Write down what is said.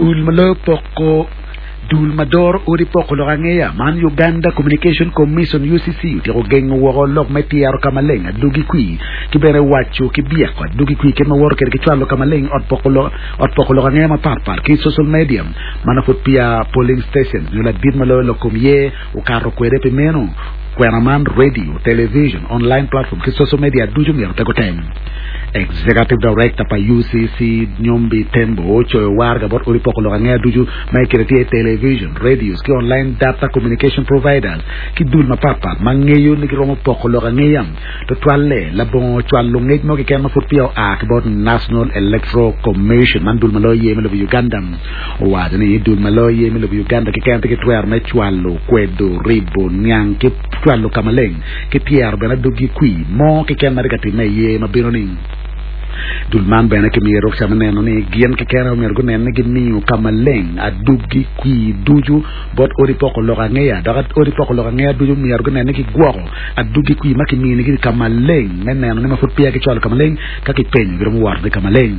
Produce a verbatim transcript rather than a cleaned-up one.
Dul ma loyo poko dul ma doro odi poko lok angeya man Uganda Communication Commission U C C otyeko gengo woko lok me tyero ka maleng adwogi kwi ki bene waco ki byeko adwogi kwi kit ma woto kede ki cwalo ka maleng ot poko lok ot poko lok angeya mapatpat ki social media mana pud peya polling station nyo ladit ma loyo lok kom ye okato kwede. Pi meno kwena man, radio, television, online platform ki social media ducu myero pe gutem. Executive Director pa U C C Nyombi Tembo ocoyo waraga bot odi poko lok angeya ducu ma ikine tye television, radios ki online data communication providers ki dul mapatpat ma ngeyo ni giromo poko lok angeya tutwalle labongo cwalo ngec mo keken ma pud peya oa ki bot National Electoral Commission. Man dul ma loyo ye me lobo Uganda owaco ni dul ma loyo ye me lobo Uganda keken tye ki twero me cwalo kwedo ribo niang ki cwalo ka maleng ki tyero bene adwogi kwi mo keken ma tye ka timme iye ma bino ni dul man bene kimiyo rukca me neno ni gin keken myero gunen ni gimiyo ka maleng adwogi kwi ducu bot odi poko lok angeya dok odi poko lok angeya ducu myero gunen ni gigwoko adwogi kwi ma kiminigi ka maleng me neno ni ma pud peya gicwalo ka maleng ka kipenyo giromo wotone ka maleng.